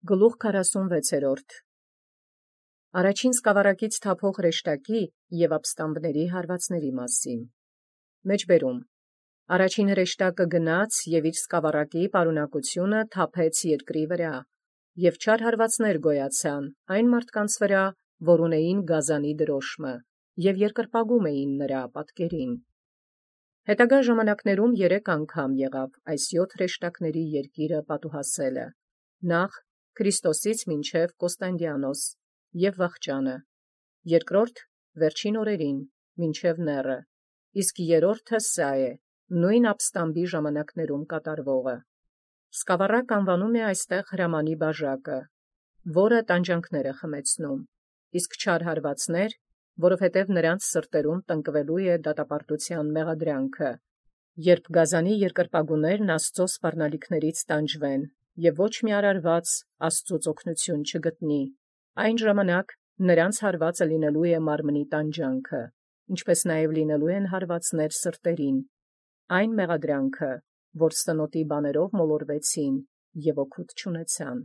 Գլուխ 46 Առաջին սկավառակից թափող հրեշտակի և ապստամբների հարվածների մասին։ Մեջբերում. Առաջին հրեշտակը գնաց և իր սկավառակի պարունակությունը թափեց երկրի վրա, և չար հարվածներ գոյացան այն մարդկանց վրա, որ ունեին գազանի դրոշմը, և երկրպագում էին նրա պատկերին։ Հետագա ժամանակներում 3 անգամ եղավ այս 7 հրեշտակների երկիրը պատուհասելը. նախ Քրիստոսից մինչև Կոստանդիանոս և վախճանը, երկրորդ վերջին օրերին մինչև նեռը, իսկ երրորդը սա է, նույն ապստամբի ժամանակներում կատարվողը։ Սկավառակ անվանում է այստեղ հրամանի բաժակը, որը տանջանքները խմեցնում, իսկ չար հարվածներ, որովհետև նրանց սրտերում տնկվելու է դատապարտության մեղադրանքը, երբ գազանի երկրպագուներն Աստծո սպառնալիքներից տանջվեն, և ոչ մի արարված Աստծուց օգնություն չգտնի, այն ժամանակ նրանց հարվածը լինելու է մարմնի տանջանքը, ինչպես նաև լինելու են հարվածներ սրտերին, այն մեղադրանքը, որ սնոտի բաներով մոլորվեցին և օգուտ չունեցան։